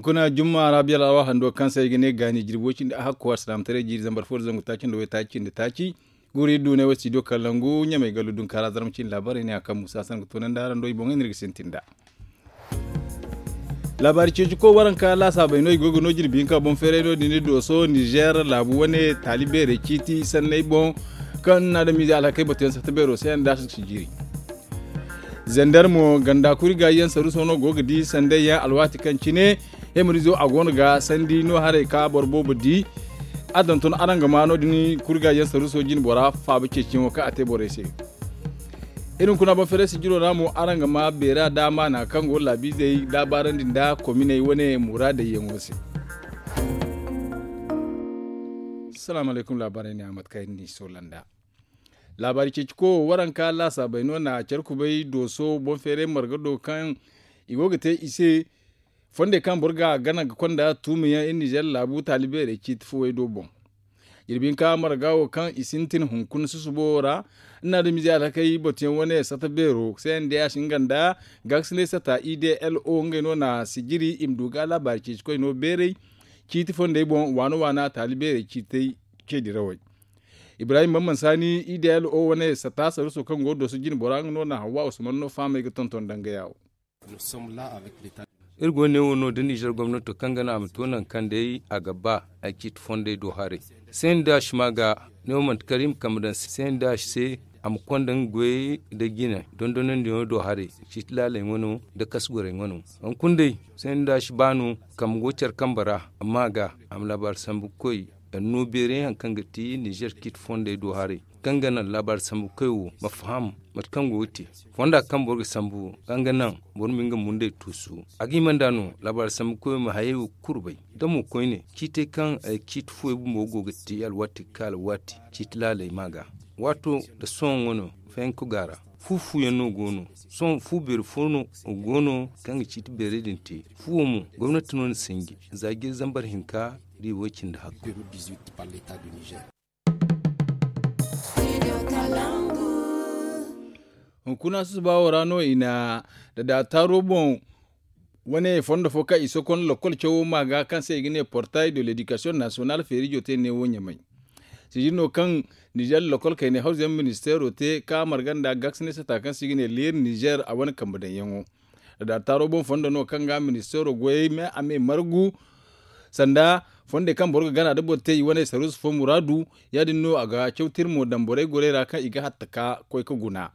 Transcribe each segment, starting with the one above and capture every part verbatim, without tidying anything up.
Hunkuna jumma ra biyal awa hando kaŋ se ay ga ne gaani jirbi way cindi a hakko alsilaamataray jiiri zambar fo da zangu taaci nda way taaci cindi taaci. Guuri duunay way studio kalangu ɲamay gallu dunkaara zarma cindi laabaarey ne a kaŋ muusa san ga toonandi araŋ do i boŋey no iri ga sintin nd'a. Laabaari ceeci koy waranka laasaabey no i go ga no jirbi hinka boŋ feeray no- din dooso nizeer laabu wane taali beerey ciiti sanney boŋ. Kaŋ na adamize alhakey batuyaŋ sata beero se yaŋ da si jiiri. Zender mo ganda kuri gaayi yaŋ saruuso no go ga di sanday yaŋ alwaati kaŋ cine hemerizo a go no ga sandi no haray ka boro boobo di. A donton araŋ ga ma no- din kuri gaayi yaŋ saruuso jine bora faaba ceeciyaŋo kaŋ a te borey se. Iri hunkuna boŋ feeray sijiro ra mo araŋ ga ma beera daama naŋ kaŋ go laabiizey laabaarandi nda kominey wane muraadey yaŋo se. Salaamu alaykum laabaarey ne a mate kaŋ iri n'i soola nd'a. Laabaari ceeci ko waranka laasaabey no na care kubay dooso boŋ feeray marga do kaŋ i go ga te i se. Fondey kaŋ boro ga gana ga konda tuumiyaŋ iri nizeer laabu taali beerey ciiti fuwey do boŋ. Jirbi hinka marga wo kaŋ i sintin hunkuna susubo ra. Nda adamize alhakey batuyaŋ wane sata beero se nda ya si nga nda gaakasinay sata i d l o ngey no na sijiri i ma du ga laabaari ceeci koy no beerey. Ciiti fondey boŋ waana waana taali beerey ciitey ce dirawey. Ibrahim bamman saani i d l o wane sata saruuso kaŋ go dooso jine bora nga no na hawwa usman no fahamey ga tonton dangaya wo. Iri go ne wo no da nizeer gomnato kaŋ ga naŋ a ma to nangu kaŋ day a ga ba ay ciiti fondey do haray. Seendaasi ma ga ne wo manti kala iri ma kambe daŋ seendaasi se. A ma konda nga goyey nda jine dondonandiyaŋo do haray. Ciiti laaley ŋwano nda kasu gorey ŋwano. Hunkuna day seendaasi ba no kambe go care kambe ra amma ga a ma laabaari sambu koy. Anno beeray hari kaŋ ga ti nizeer ciiti fondey do haray kaŋ ga naŋ laabaari sambu koy wo ma faham mate kaŋ go ga te. Fonda kaŋ boro ga sambu kaŋ ga naŋ boro ma nga mundey tuusu. A ga hima nd'a no laabaari sambu koy wo ma hayey wo kulu bay. Da mo koyne ciitey kaŋ ay ciiti fuwey bumbo go ga te alwaati ga ka alwaati ciiti laaley ma ga waato nda sohõ ŋwano fayanka go a ra. Fu fu yaŋ no go no sohõ fu beeri fo no go no kaŋ ga ciiti beerey din te. Fuwo mo gomnati no na sinji za jiiri zambar hinka da i way cindi hakku. Hunkuna susuba wo ra no i na dadaataaro boŋ wane fondo fo kaŋ i sokon lokol cawo ma ga kaŋ se i ga ne portail de l'education national feerijo te neewo ɲamay. Sijiri no kaŋ nizeer lokol kaynay hawzuyaŋ ministeero te ka marga nda gaakasinay sata kaŋ se i ga ne leer nizeer a wane kambe daŋyaŋo. Dadaataaro boŋ fondo no kaŋ ga ministeero goyey me a me margu sanda fondey kaŋ boro ga gana da boro te i wane saruusu fo muraadu. Ya- din no a ga cawti iri mo daŋ borey gorey ra kaŋ i ga hatta ka koy ga guna.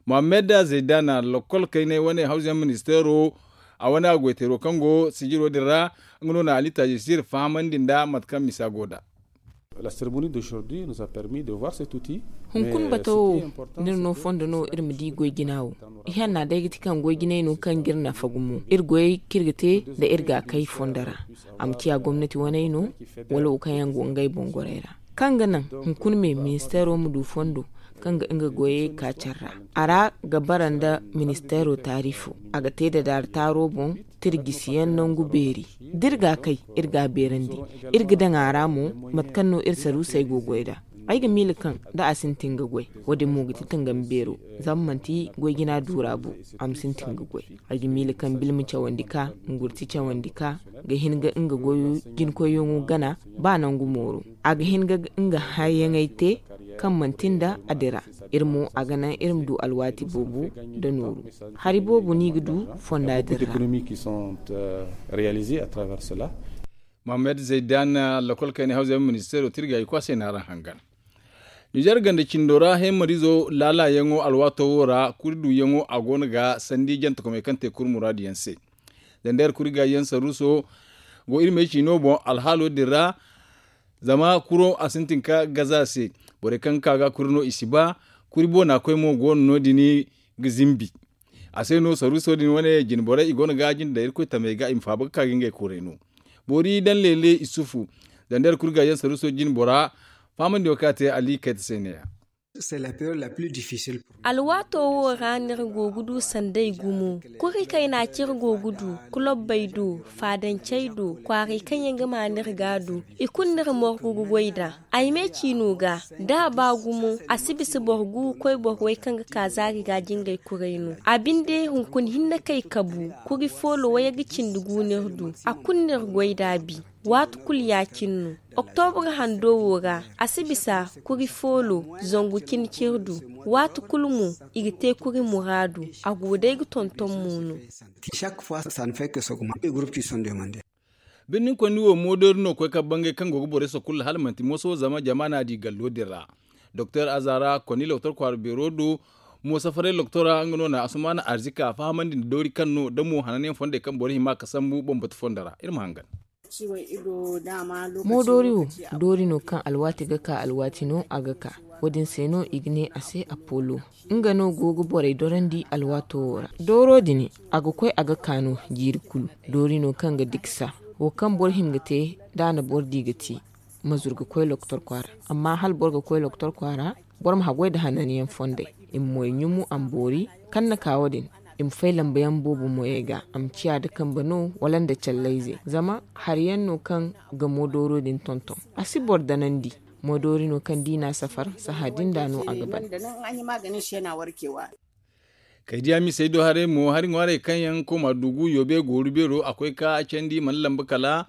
Mohammed zeydana lokol kaynay wane hawzuyaŋ ministeero a wane a goyteero kaŋ go sijiro din ra. Nga no na ali taajisir fahamandi nda mate kaŋ misa go nd'a. Hunkuna bato wo, da iri no fondo no iri ma di goy jina wo. Ihanna day ga ti kaŋ goy jinay no kaŋ ga iri nafa gumo iri goyey kaŋ iri ga te nda iri ga a kay fondo ra. A ma ciya gomnati waney no wala wo kaŋ yaŋ go ngey boŋ gorey ra kaŋ ga naŋ hunkuna me ministeero ma du fondo kaŋ ga nga goyey ka care ra. A ra ga bara nda ministeero taarifo a ga te dadaari taaro boŋ. Tirjisiyaŋ nangu beeri da iri ga a kay iri ga a beerandi. Iri ga daŋ a ra mo mate kaŋ no iri saruusey go goy nd'a. Ay ga miila kaŋ da a sintin ga goy wo- din mo ga ti tangam beero. Zama manti goy jina duura bo a ma sintin ga goy. Ay ga miila kaŋ bilma cawandi ka ngurti cawandi ka ga hin ga nga goyo jinkoyyaŋo gana ba nangu mooro. A ga hin ga nga hayyaŋey te kaŋ manti nda a dira. Iri mo a ga naŋ iri ma du alwaati boobo nda nooru. Hari boobo no i ga du fonda din ra. Mohammed zaydan lokol kayna hawza yaŋ ministeero tirga i kwaasay na araŋ hangan. Nizer ganda cindo ra hemarizo laalayaŋo alwaato wo ra kuri duuyaŋo a go no ga sandi jantakomey kaŋ te kuri muraadu yaŋ se. Zandayar kuri gaayi yaŋ saruuso go iri may ciino boŋ alhaalo din ra. Zama kuro a sintin ka gaza se. Borey kaŋ ga ka ga kuri no i si ba. Kuri boona koy mo go no no- din ga zimbi. A se no saruuso din wane jine borey i go no ga jinde daŋ irkoy tamey ga i ma faaba ga ka ga ngey koray no. Boori daŋ leele isufu. Zandayar kuri gaayi yaŋ saruuso jine bora fahamandi wo kaŋ a te ali kayta se ne- ya. Alwaato wo ra no iri go ga du sanday gumo. Kuri kayna kaŋ iri go ga du, kulobbey do, faadancey do, kwaaray kaŋ yaŋ ga maa no iri ga a du, i kulu no iri morgu ga goy nd'a. Ay me ciino ga, da a ba gumo, a si bisa boro gu ga koy boro way kaŋ ga ka zaari ga jingay kuray no. A binde hunkuna hinne kay kabu, kuri foolo wayye ga cindi gu no iri du. A kulu no iri goy nd'a bi. Waati kulu ya-cine no. Oktobra hando wo ra, a si bisa kuri foolo zangu cine cine du. Waati kulu mo, i ga te kuri muraadu. A go day ga tonton mo no. Birnin konni wo moodoori no koy ka bangay kaŋ go ga borey sokulla hala manti mooso zama jama n'a di gallo din ra. Doktor azara konni loktor kwaara beero do, mo safaray loktora nga no na asumaana arzika fahamandi nda doori kaŋ no da mo hananyaŋ fondey kaŋ boro hima ka sambu bambata fondo ra iri ma hangan. Moodoori wo, doori no kaŋ alwaati ga ka alwaati no a ga ka. Wo-din se no i ga ne a se apollo. Nga no go ga borey dorandi alwaato wo ra. Dooro din, a ga koy a ga ka no jiiri kulu. Doori no kaŋ ga diksa. Wo kaŋ boro hima ga te, da a na boro di ga ti, ma zuru ga koy loktor kwaara. Amma hala boro ga koy loktor kwaara, boro ma haggoy nda hananyaŋ fondey. I ma moy ɲumu a ma boori. Kaŋ na ka wo-din, i ma fay lambayaŋ boobo moyey ga, a ma ciya nda kambe no wala nda callayze. Zama hari yaŋ no kaŋ ga moodooro din tonton. A si boro danandi. Moodoori no kaŋ da i n'a safar, sahã din da no a ga ban. Kay diya misey do haray mo hari ŋwaarey kaŋ yaŋ kooma dugu yoobe gooru beero a koy ka candi mana lamba kala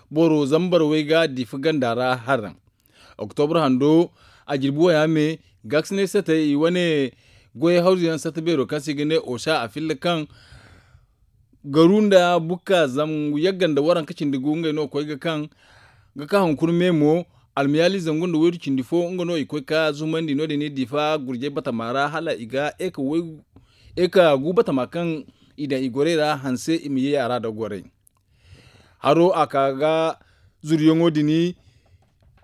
boro zambar way ga difa ganda ra haraŋ. Oktobra hando, a jirbi waya me, gaasinay sata i wane goyey hawzu yaŋ sata beero kaŋ se i ga ne osa a filla kaŋ garu nda bukka zangu yagga nda waranka cindi gu ngey no koy ga kaŋ ga ka hunkuna me mo. Almayaali zangu nda waydu cindi fo nga no i koy ka zumandi no- din i difa gurjay batama ra hala i ga eka gu batama kaŋ i daŋ i gorey ra hanse i ma ye a ra da gorey. Haro a ka ga zuryaŋo din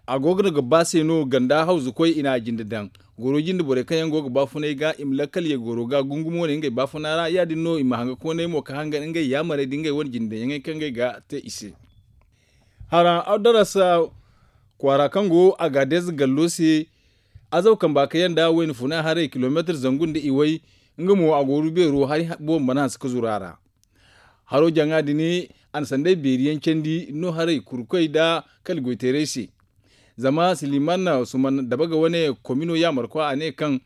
a go ga ba se no ganda hawzu koy i na a jinde daŋ. Goro jinde borey kaŋ yaŋ go ga baafunay ga i ma lakkal ye goro ga gungumo ne ngey baafuna ra ya- din no i ma hanga koonay mo ka hangan ngey yaamarey nda ngey wane jinde daŋyaŋey kaŋ ngey ga te i se. Haraŋ awdaras kwaara kaŋ go a ga deeza gallo se, azaw kamba ka yanda wayna funa haray kilomeetar zangu nda iway. Nga mo a go rubeero hari boobo mana hanse ka zuru a ra. Haro jaŋa din a na sanday beeri yaŋ candi no haray kurkoy nda kala goyteeray se. Zama siliman suman dabaga wane komino yaamarkwa a ne kaŋ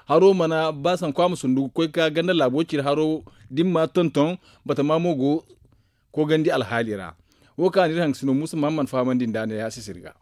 haro mana ba sanku a ma sundu ga koy ka ganda laabo cire haro da ni ma tonton batama mo go koogandi alhaali ra. Wo kaŋ a na iri haŋ ga sino muusa mahamman fahamandi nd'a ne ya sisiri ga.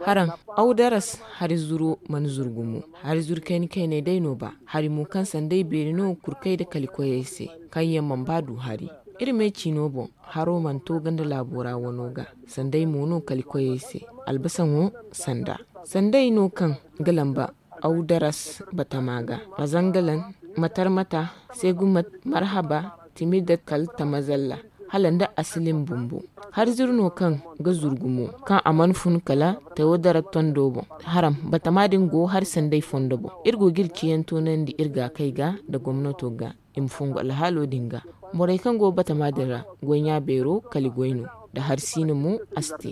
Haraŋ awdaras hari zuro mana zuru gumo. Hari zuru kayna kaynay day no ba hari mo kaŋ sanday beeri no kurkay nda kalikoyey se kaŋ yaŋ mana ba du hari. Iri me ciino boŋ haro mana to ganda laabo ra wano ga. Sanday mo no kalikoyey se albasaŋo sanda sanday no kaŋ ga lamba awdaras batama ga, razangalan, matarmata, segumat, marhaba, timidat kala tamazalla, hala nda asilim bumbo. Hari zuru no kaŋ ga zuru gumo kaŋ a mana fun kala tewadarat tondo boŋ. Haram batama din go hari sanday fondo boŋ. Iri go ga iri ciyaŋ toonandi iri ga kay ga nda gomnato ga i ma fungu alhaalo din ga. Borey kaŋ go batama din ra goy ɲa beero kala i goy no nda hari siina mo a si te.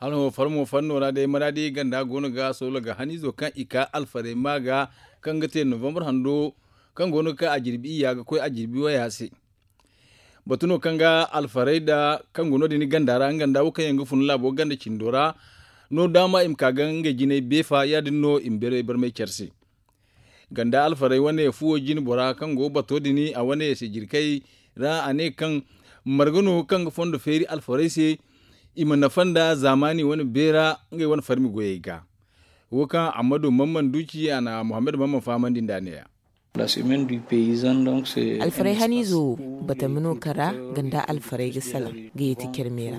Hala hõ farmo fanno ra day maraadi ganda goono ga soola ga haniizo kaŋ i ka alfarey ma ga kaŋ ga te novembre hando kaŋ goono ga ka a jirbi iyya ga koy a jirbi waya se. Batu no kaŋ ga alfarey da kaŋ go no- din ganda ra nga nda wo kaŋ yaŋ ga fun laabo ganda cindo ra no daama i ma ka ga ngey jinay beefa ya- din no i ma beeray barmay care se. Ganda alfarey wane fuwo jine bora kaŋ go bato din a wane se jirkey ra a ne kaŋ marga no kaŋ ga fondo feeri alfarey se i ma nafa nda zaamaani wane beera ngey wane farmi goyey ga. Wo kaŋ ammadu mamman duuci a na muhammad mamman fahamandi nda ne ya. Alfarey haniizo wo batami no kaŋ ra ganda alfarey ga salaŋ ga yeeti care me ra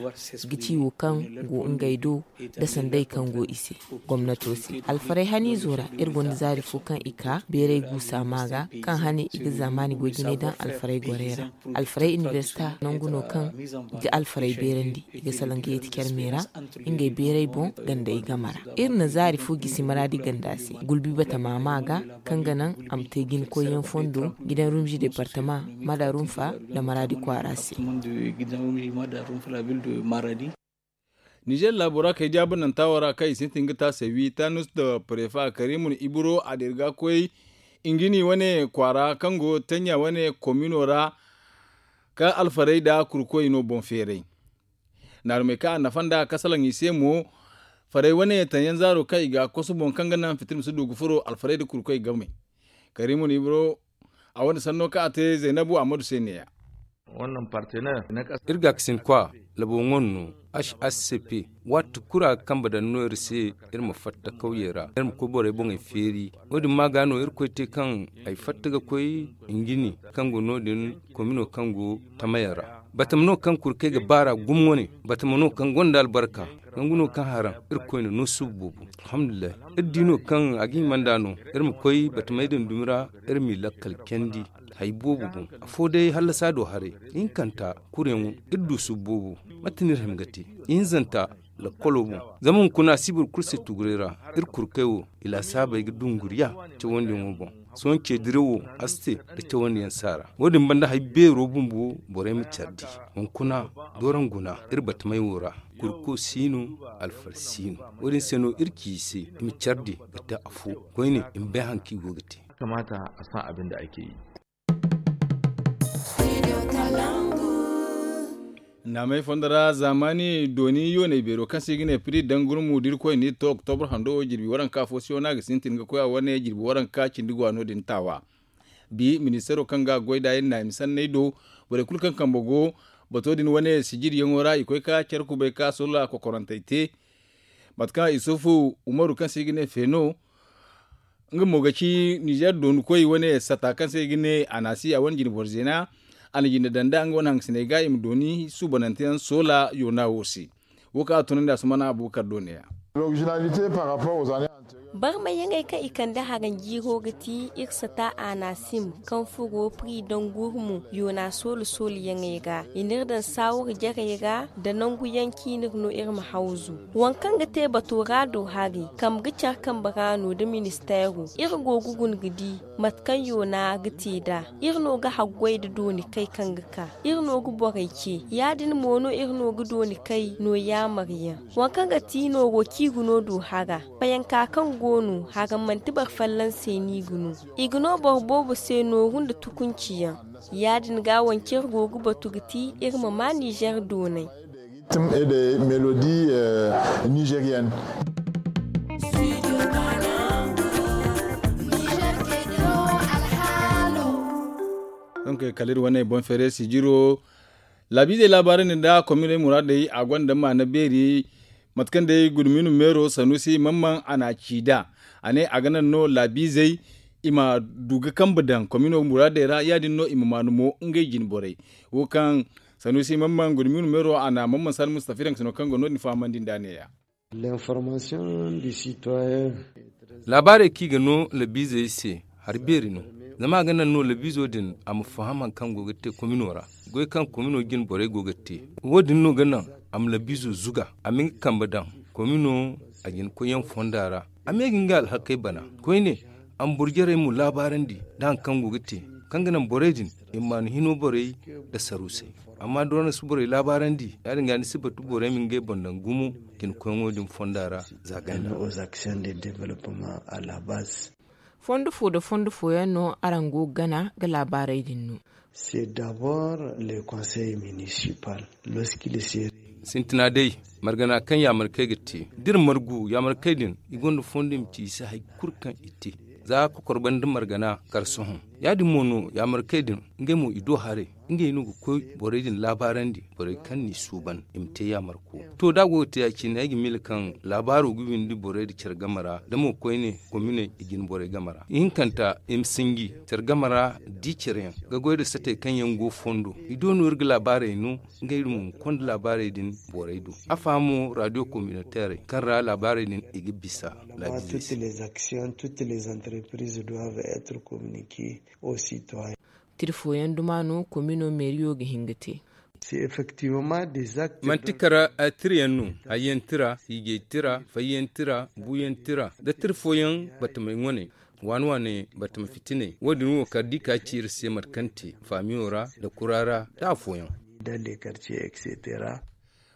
ga ci wo kaŋ go ngey do nda sanday kaŋ go i se gomnato se. Alfarey haniizo ra iri gonda zaari fo kaŋ i ka beeray guusa ma ga kaŋ hane i ga zaamaani goy jinay daŋ alfarey gorey ra. Alfarey inibersita nangu no kaŋ i ga alfarey beerandi i ga salaŋ ga yeeti care me ra ngey beeray boŋ gandey game ra. Iri na zaari fo gisi maraadi ganda se gulbi batama ma ga kaŋ ga naŋ a ma te jina koyyaŋ fondo gidan rumzi departama mada rumfa nda maraadi kwaara se. Nizer laabo ra kay jaabananta wo ra kaŋ i sintin ga taase wi tanus nda parefa karimun ibro a dira ga koy, ingini wane kwaara kaŋ go tanya wane komino ra, ka alfarey nda kurkoy no boŋ feeray. Naarumey kaŋ a nafa nda kasalaŋ i se mo, farey wane tanyan zaaro kaŋ i ga a kosu boŋ kaŋ ga naŋ fitir ma si du ga furo alfarey nda kurkoy game. Karimun ibro a wane sanno kaŋ a te zaynabu ahmadu se neeya. Iri gaakasin kwa labo ŋwa no, hscp, waati kulu a ga kambe daŋ no iri se, iri ma fatta kawyey ra iri ma koy borey boŋey feeri. Wo- din ma ga no irkoy te kaŋ ay fatta ga koy, ingini kaŋ go no- din komino kaŋ go tamayaŋ ra. Batama no kaŋ kurkey ga baar'a gumo wane. Batama no kaŋ gonda albarka. Nangu no kaŋ haraŋ irkoy na no suubu boobo. Alhamdulillahi. Iri di no kaŋ a ga hima nd'a no, iri ma koy batamey din dumi ra, iri m'i lakkal candi. Hari boobo boŋ afo day hallasa do haray. Ihinkanta, kuryaŋo, iri du suubu boobo. Mate no iri hima ga te? Ihinzanta, lakkolo boŋ. Zama hunkuna a si boro kulu se tuguray ra. Iri kurkey wo, i laasaabey ga dunguriya cawandiyaŋo boŋ. Sohõ ce dirawo a si te nda cawandiyaŋ saara. Wo- din banda hari beero bumbo borey ma care di. Hunkuna, dooraŋ guna iri batamey wo ra. Kurko si no, alfar si no. Wo- din se no iri ci i se, i ma care di ga te afo. Koyne i ma bay hari kaŋ i go ga te. Naamey fondo ra zaamaani dooni yooney beero kaŋ se i ga ne piri dangurmu da irkoy n'i to oktobro hando wo jirbi waranka fo se wo no a ga sintin ga koy a wane jirbi waranka cindi go a no- din taawa. Bi ministeero kaŋ ga a goy nd'a iri naami sanney do, borey kulu kaŋ kambe go bato din wane sijiriyaŋo ra i koy ka care kubay ka sola kokorantey te. Mate kaŋ isufu umaru kaŋ se i ga ne feeno, nga mo ga ci nizer dooni koy wane sata kaŋ se i ga ne anasi a wane jine boro zeena. A na jinde daŋ nd'a nga wane hangasiney ga i ma dooni suubanante yaŋ soola yoona wo se. Wo kaŋ a tunandi a sumana abubakar do neeya. Barmayaŋey kaŋ i kande haranjiiro ga ti iri sata anasim kaŋ furo pri dangurmu yoona soolu sooluyaŋey ra i n'iri daŋ saawur jarey ra nda nanguyaŋ kaŋ i n'iri no iri ma hawzu. Waŋ kaŋ ga te bato ra do hari kambe ga care kambe ra no nda ministeero iri go ga guna ga di mate kaŋ yoona ga te nd'a. Iri no ga haggoy nda dooni kay kaŋ ga ka iri no ga borey ce ya- din mo no iri no ga dooni kay no yaamaryaŋ. Waŋ kaŋ ga ti nooru kaŋ i ga no du hara fayanka kaŋ go no hara manti boro folloŋ se no i ga no. I ga no boro boobo se nooru nda tukunci yaŋ. Ya- din ga waŋ kaŋ iri go ga batu ga ti iri ma ma nizer doonay. Donk kala iri wane boŋ feere sijiro laabiizey laabaarandi nda kominey muraadey a gonda maana beeri. Mate kaŋ day guduminu meero sanusi mamman a na a ci nd'a a ne a ga naŋ no laabiizey i ma du ga kambe daŋ komino muraadey ra ya- din no i ma maanu mo ngey jine borey. Wo kaŋ sanusi mamman guduminu meero a na mamman sani mustafa iraŋ sino kaŋ go no- din fahamandi nd'a neeya. Laabaarey kaŋ i ga no labiizey se hari beeri no. Zama a ga naŋ no labiizo din a ma faham hari kaŋ go ga te komino ra goy kaŋ komino jine borey go ga te. Wo- din no ga naŋ a ma labiizo zuga a ma nga kambe daŋ komino a jine koyyaŋ fonda ra. A ma ye ga nga alhakey bana koyne a ma boro jarey mo laabaarandi nda hari kaŋ go ga te kaŋ ga naŋ borey din i ma maanu hino borey nda sarusey. Amma da wane si borey laabaarandi ya- din ga ni si batu borey ma ngey boŋ daŋ gumo jine koyyaŋo din fonda ra. Za ganda. Fondo fo nda fondo fooyaŋ no araŋ go ga gana ga laabaarey din no. Sintina day margana kaŋ yaamarkey ga te da iri margu yaamarkey din i gonda fondo i ma ci i se hari kulu kaŋ i te. Za kokor banda margana kar sohõ ya- din mo no yaamarkey din ngey mo i do haray ngey no ga koy borey din laabaarandi borey kaŋ n'i suuban i ma te yaamarko. To da a go ga te ya- cine ay ga miila kaŋ laabaaro ga windi borey da care game ra da mo koyne kominey i jine borey game ra ihinkanta i ma sinji care game ra di care yaŋ ga goy nda satey kaŋ yaŋ go fondo i do no iri ga laabaarey no. Ngey mo ma konda laabaarey din borey do a fahamo radio communautairey kaŋ ra laabaarey din i ga bisa. Laabiizey se. Tiri fooyaŋ duma no komino meeriyo ga hin ga te. Manti kara tirayaŋ no, hayyaŋ tira, hiijay tira, fayyaŋ tira, buuyaŋ tira, da tira fooyaŋ batamey ŋwaney, waani waani batama fitiney wo- din wo kala da i ka ci iri se mate kaŋ te faamiyo ra, nda kura ra, nda afooyaŋ.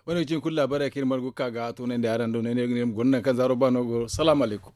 Wane ga cin kulu laabaarey kaŋ iri margu ga ka ga a toonandi araŋ do ne ne guna kaŋ zaaro ba no go. Salaamu alaykum.